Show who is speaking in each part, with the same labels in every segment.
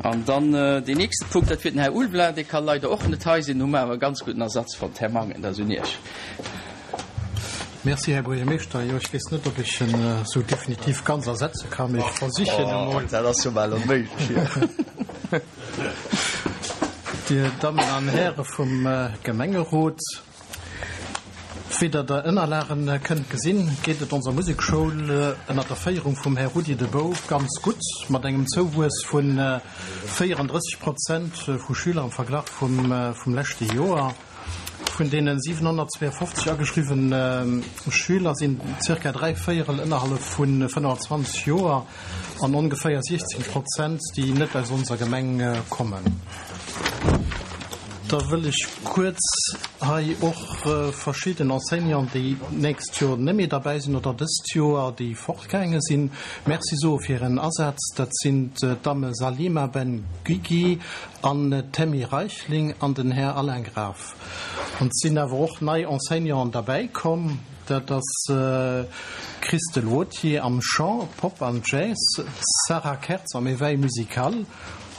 Speaker 1: An dann deen nächste Punkt, dat wier den Här Ulveling. Dee ka leider och net hei sinn, hu mer awer e ganz gudden Ersatz fonnt. Här Mangen, dat ass un Iech.
Speaker 2: Merci, Här Buergermeeschter. Jo, ech weess net, ob ech en esou definitiv ganz ersetze kann, mee ech versichen emol.
Speaker 3: Dat ass jo bal onméiglech hier.
Speaker 2: Dir Dammen an Häre vum Gemengerot, wéi Der der Ënnerlagen kënnt gesinn, geet et onser Musekschoul ënner der Féierung vum Här Rudi De Bouw ganz gutt, mat engem Zouwuess vu 34 Prozent vu Schüler am Verglach vum leschte Joer. Vun deene 752 ageschriwwene Schüler sinn zirka dräivéierel ënnerhallef vu 25 Joer an ongeféier 16 Prozent, déi net aus onser Gemeng kommen. Da wëll ech kuerz hei och verschidden Enseignanten, déi d'nächst Joer net méi derbäi sinn oder dëst Joer, déi fortgaange sinn, Merci soe fir hiren Asaz. Dat sinn d'Damme Salima Ben Guigui an d'Tammy Reichling an den Här Alain Graf. An et sinn awer och nei Enseignanten derbäi komm. Dat ass d'Christelle Wauthier am Chant, Pop an Jazz, d'Sarah Kertz am Éveil musical,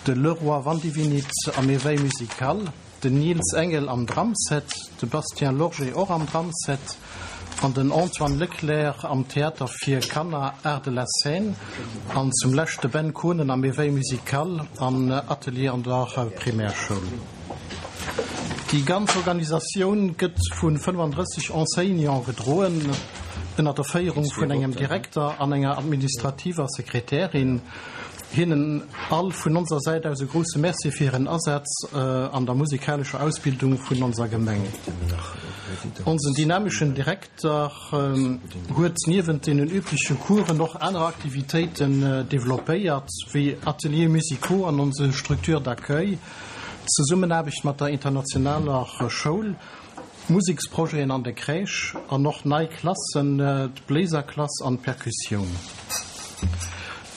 Speaker 2: de Leroy Vandivinit am Éveil musical, Den Nils Engel am Drumset, de Bastien Lorgé och am Drumset an den Antoine Leclerc am Theater fir Kanner Art de la Scène an zum Lescht de Ben Konen am Éveil musical an Atelier an der Primärschoul. Déi ganz Organisatioun gëtt vu 35 Enseignante gedroen, ënner der Féierung vun engem Direkter an enger administrativer Sekretärin. Hinnen all vun onser Säit aus e grousse Merci fir hiren Asaz an der musikalescher Ausbildung vun onser Gemeng. Onsen dynameschen Direkter huet niewent deenen übleche Coursen och aner Aktivitéiten developpéiert, wéi Ateliers musicaux an onse Structures d'accueil, d'Zesummenaarbecht mat der internationaler Schoul, Museksprojeten an de Crèche an och nei Klassen, d'Bléiserklass an d'Perkussioun.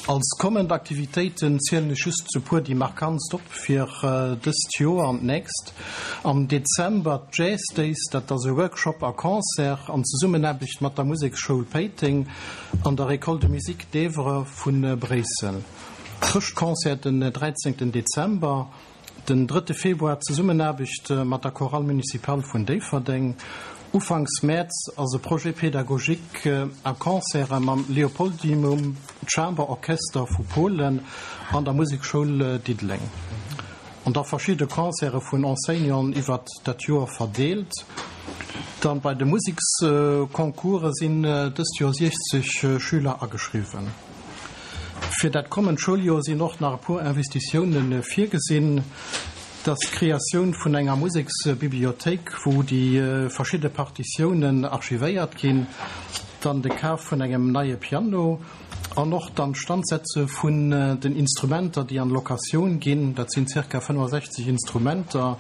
Speaker 2: Als kommend Aktivitéiten zielen ech just e puer déi markantst op fir dëst Joer an d'nächst. Am Dezember d'Jazz Days, dat ass e Workshop a Concert an Zesummenaarbecht mat der Museksschoul Péiteng an der École de Musique d'Evere vu Bréissel. Chrëschtconcert den 13 Dezember. Den drëtte Februar, Zesummenaarbecht mat der Chorale Municipale vun Déifferdeng. Ufanks Mäerz ass e Projet pédagogique a Concerte mam Leopoldinum Chamber Orchester vu Polen an der Musekschoul Diddeleng. An da verschidde Concerte vun Enseignanten iwwert dat Joer verdeelt. Dann bei de Museksconcourse sinn dëst Joer 60 Schüler ageschriwwen. Fir dat kommend Schouljoer sinn och nach e puer Investitioune virgesinn. Dat ass d'Kreatioun vun enger Museksbibliothéik, wou déi verschidde Partitiounen archivéiert ginn, dann de Kaf vun engem neie Piano an och d'Anstandsetze vun den Instrumenter, déi an Locatioun ginn. Dat sinn zirka 65 Instrumenter.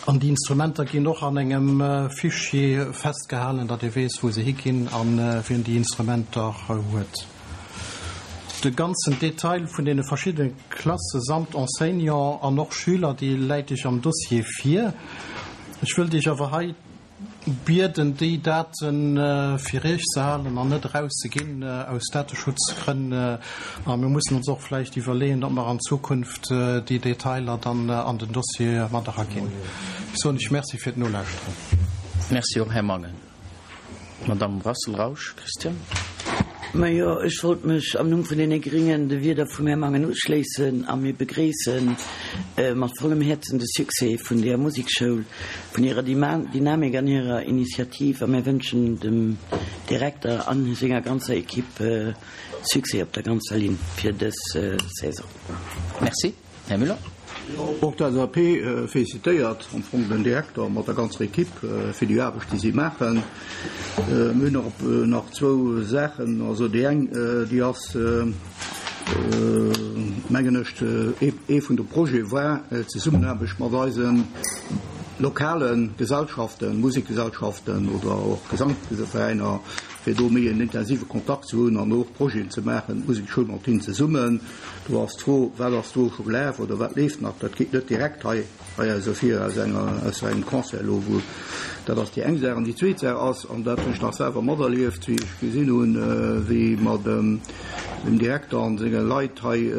Speaker 2: An déi Instrumenter ginn och an engem Fichier festgehalen, datt ee weess, wou se higinn a wien déi Instrumenter huet. De ganzen Detail vun deene verschiddene Klasse samt Enseignant an och Schüler, dee läit Iech am Dossier vir. Ech wëllt Iech awer hei Bieden déi Date fir Iech ze halen an net erauszeginn aus Dateschutzgrënn. A mir mussen ons och vläicht iwwerleeën, ob mer an Zukunft déi Detailer dann an den Dossier mat eraginn. Ech soen Iech Merci fir d'Nolauschteren.
Speaker 1: Merci och, Här Mangen. Madamm Brassel-Rausch, Christiane.
Speaker 4: Majo, ech wollt mech am Numm vun deene Gringen de Wierder vum Här Mangen uschléissen a mir begréisse mat vollem Häerzen de Succès vun deeër Musekschoul, vun hirer Dynamik an hirer Initiativ a mir wënschen dem Direkter a senger ganzer Equipe Succès op der ganzer Linn fir dës Saison.
Speaker 1: Merci. Här Müller.
Speaker 3: Och d'LSAP félicitéiert am Fong den Direkter mat der ganzer Equipe fir déi Aarbecht, déi si maachen. Mir hunn och nach zwou Saachen. Also déi eng, déi ass, mengen ech, ee vun de Projete war d'Zesummenaarbecht mat eise lokale Gesellschaften, Musekgesellschaften oder och Gesankveräiner, fir do méi en intensive Kontakt ze hunn an och Projeten ze maachen, d'Musekschoul mat hinnen zesummen. Do ass d'Fro, Wat ass do scho gelaf oder wat leeft nach? Dat geet net direkt hei hei aus ervir aus enger, aus engem Concert elo, wou, dat ass déi eng Saach. An déi zweet Saach ass, an dat hunn ech nach selwer materlieft, wéi ech gesinn hunn, wéi mer dem. dem Direkter an senge Leit hei,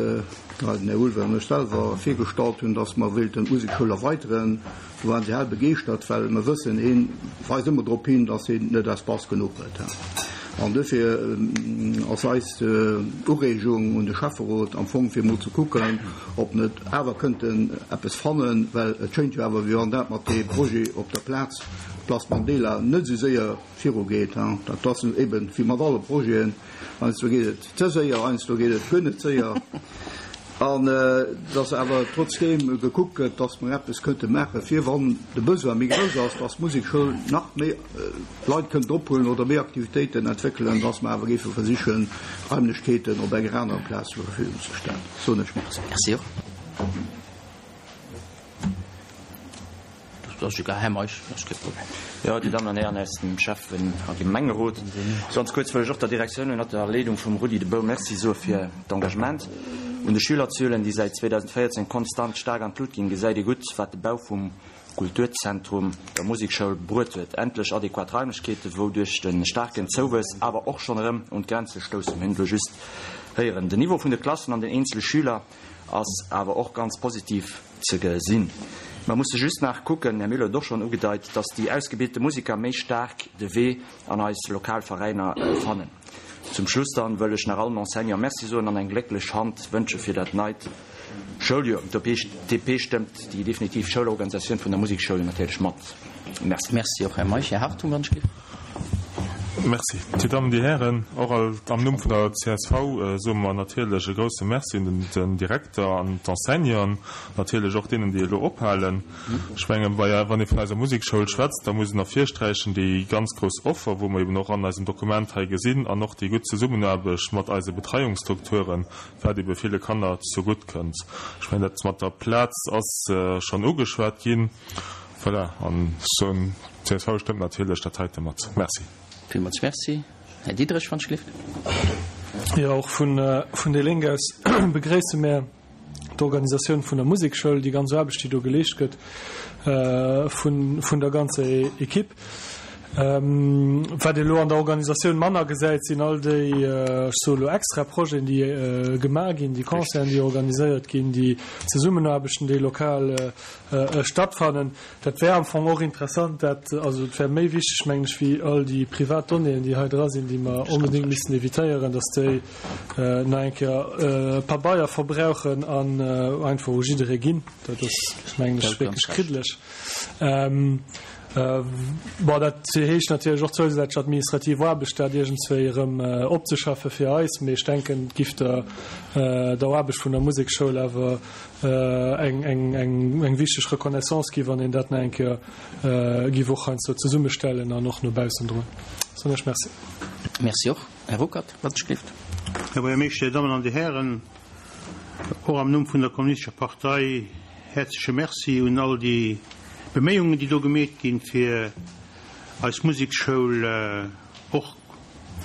Speaker 3: den Här Ulve an ech selwer, virgestallt hunn, dass mer wéilten d'Musekschoul erweiteren, do waren se hell begeeschtert, well mer wëssen, heen weist ëmmer drop hin, dass heen net Espace genuch huet. An duerfir ass eis Ureegung un de Schäfferot am Fong, fir emol ze kucken, ob net awer kënnten eppes fannen, well et schéint jo awer, wéi wann dat mat deem Projet op der Plaz, Place Mandela, net esou séier virugeet. Dat ass eben wéi mat alle Projeten, heiansdo geet et ze séier, heiansdo geet et guer net séier. An dass awer trotzdeem gekuckt gëtt, dass mer eppes kënnte maachen, fir wann de Besoin méi grouss ass, dass d'Musekschoul nach méi Leit kënnt ophuelen oder méi Aktivitéiten entwéckelen, dass mer awer géife versichen, Raimlechkeeten op enger anerer Plaz zur Verfügung ze stellen. Soen ech Merci.
Speaker 1: Merci och. Dat ass egal, Här Meisch, dat ass kee Problem.
Speaker 5: Jo, Dir Dammen an Hären aus dem Schäffen a Gemengerot, ganz kuerz wëll ech och der Direktioun ënnert der Leedung vum Rudi De Bouw Merci soe fir d'Engagement. Un de Schülerzuelen, déi säit 2014 konstant staark an d'Lut ginn, gesäit ee gutt, wat de Bau vum Kulturzentrum der Musekschoul bruet huet. Endlech adequat Raimlechkeeten, wou duerch de staarken Zouwuess awer och schonn erëm un d'Grenze stoussen. Mir hunn et elo just héieren. Den Niveau vun de Klassen an den eenzele Schüler ass awer och ganz positiv ze gesinn. Mer musse just nach kucken, Här Müller huet et och schonn ugedeit, dass déi ausgebilte Musiker méi staark de Wee an eis lokal Veräiner fannen. Zum Schluss dann wëll ech nach allen Enseignants Merci soen an eng glécklech Hand wënsche fir dat neit Schouljoer. D'OPTP stëmmt déi definitiv Schoulorganisatioun vun der Musekschoul natierlech mat. Merci.
Speaker 1: Merci och, Här Meisch. Här Hartung, wann ech géif.
Speaker 6: Merci. Dir Dammen, Dir Hären, och am Numm vun der csv soe mer natierlech e grouse Merci un den Direkter an d'Enseignanten, natierlech och deenen, déi elo ophalen. Ech mengen, wann ee vun eiser Musekschoul schwätzt, da muss een ervirsträichen déi ganz grouss Offer, wou mer eben och an eisem Dokument hei gesinn, an och déi gutt Zesummenaarbecht mat eise Betreiungsstrukturen, wat ebe ville Kanner zegutt kënnt. Ech mengen, dat mat der Plaz ass schonn ugeschwat ginn. Voilà, an ech soen, d'CSV stëmmt natierlech dat heite mat. Merci.
Speaker 1: Villmools Merci. Här Diderich, wann ech gelift.
Speaker 7: Jo, och vun déi Lénk aus begréisse mär d'Organisatioun vun der Musekschoul, déi ganz Aarbecht, déi do geleescht gëtt vun der ganzer Equipe. Wat ee elo an der Organisatioun manner gesäit, sinn all déi, ech soe elo extra Projeten, déi gemaach ginn, déi Concerten, déi organiséiert ginn, déi Zesummenaarbechten, déi lokal stattfannen. Dat wär am Fong och interessant, dat, also et wär méi wichteg, mengen ech, wéi all déi privat Donnéeën, déi hei dra sinn, déi mer onbedéngt missten evitéieren, dass déi nach eng Kéier Pabeier verbrauchen an einfach u jidderee ginn. Dat ass, mengen ech, wierklech kriddeleg. Bon, dat heescht natierlech och zousätzlech administrativ Aarbecht, dat iergendswéi erëm opzeschaffe fir eis, mee ech denken, et giff der der Aarbecht vun der Musekschoul awer eng wichteg Reconnaissance gi wann een dat nach eng Kéier giff och heiansdo zesummestellen an och no baussen droen. Soen ech Merci.
Speaker 1: Merci och. Här Ruckert, wann ech gelift.
Speaker 8: Här Buergermeeschter, Dir Dammen an Dir Hären, och am Numm vun der Kommunistescher Partei häerzleche Merci un all déi Beméiungen, déi do gemeet ginn, fir eis Musekschoul och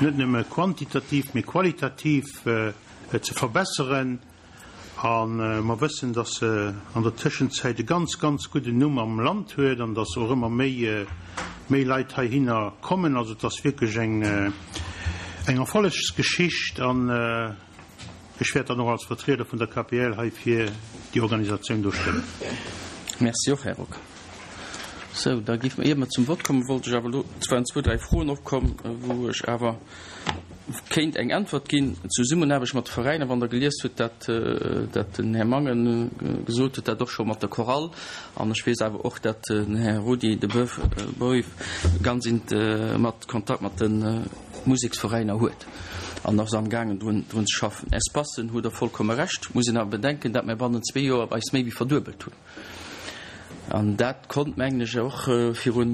Speaker 8: net nëmme quantitativ, mee qualitativ ze verbesseren. A mer wëssen, dass se an der Tëschenzäit e ganz, ganz gudden Numm am Land huet an dass och ëmmer méi, méi Leit heihinner kommen. Also et ass wierklech eng, eng Erfollegsgeschicht an ech wäert dann och als Vertrieder vun der KPL hei fir déi Organisatioun do stëmmen.
Speaker 1: Merci och, Här Ruck. Sou, da géife mer, ier mer zum Vott kommen, wollt ech awer elo, et waren zwou, dräi Froen opkomm, wou ech awer kéint eng Äntwert ginn. Zesummenaarbecht mat de Veräiner, wann Der gelies hutt, dat, dat den Här Mangen gesot huet, dat och scho mat der Chorale, an ech weess awer och, dat den Här Rudi de Boeuf ganz int mat Kontakt mat de Museksveräiner huet an ass amgaangen drun, drun ze schaffen. Espacen, hutt Der vollkomme Recht, muss een awer bedenken, dat mir bannent zwee Joer eis méi wéi verduebelt hunn. An dat konnt, mengen ech, och viru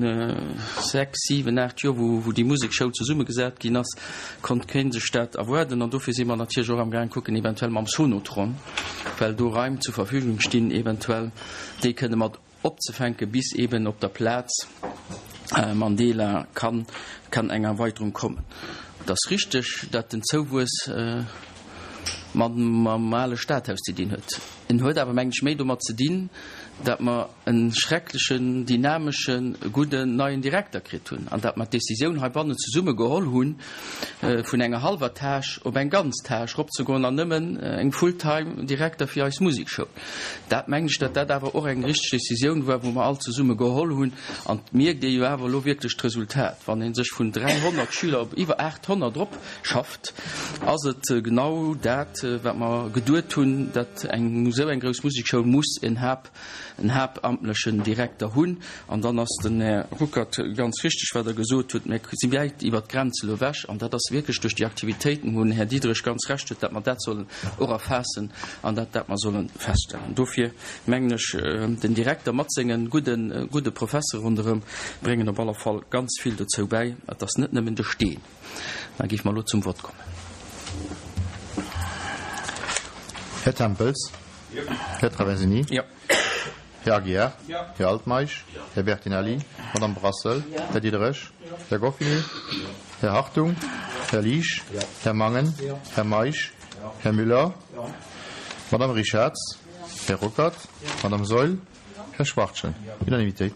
Speaker 1: 6, 7, 8 Joer, wou déi Musekschoul zesummegesat ginn ass, konnt kee sech dat erwaarden. An dofir si mer natierlech och amgaang kucken, eventuell mam Sonotron, well do Raim zur Verfügung stinn, eventuell déi kënne mat opzefänken, bis eeben op der Plaz Mandela kann eng Erweiterung kommen. Et ass richteg, dat den Zouwuess. mam ale Stadhaus ze dinn huet. En huet awer, mengen ech, méi domat ze dinn, datt mer e schrecklechen, dynameschen, gudden neien Direkter kritt hunn an datt mer d'Décisioun heibannen zesumme geholl hunn, vun enger hallwer Tâche op eng ganz Tâche eropzegoen an nëmmen eng full-time Direkter fir eis Musekschoul. Dat mengen ech, datt dat awer och eng richteg Décisioun war, wou mer all zesumme geholl hunn. An et mierkt ee jo awer elo wierklech d'Resultat, wann ee sech vun 300 Schüler op iwwer 800 eropschafft, ass et genau dat, wat mer geduet hunn, datt eng esou eng grouss Musekschoul muss en Haupt, en haaptamtlechen Direkter hunn. An dann ass den Här Ruckert ganz richtig, wat er gesot huet, Mir si wäit iwwert d'Grenze elo ewech. An dat ass wierklech duerch déi Aktivitéiten, wou den Här Diderich ganz Recht huet, datt mer dat sollen och erfaassen an dat dat mer solle feststellen. Dofir mengen ech, den Direkter mat senge gudde, gudde Professere ronderëm bréngen op alle Fall ganz vill dozou bäi. Et ass net nëmmen de Steen. Da géife mer elo zum Vott kommen.
Speaker 9: Här Tempels. Här Traversini. Här Aguiar. Här Altmeisch. Här Bertinelli. Madame Brassel. Här Diderich. Här Goffini. Här Hartung. Här Liesch. Här Mangen. Här Meisch. Här Müller. Madame Richarz. Här Ruckert. Madame Saeul. Här Schwachtgen. Unanimitéit.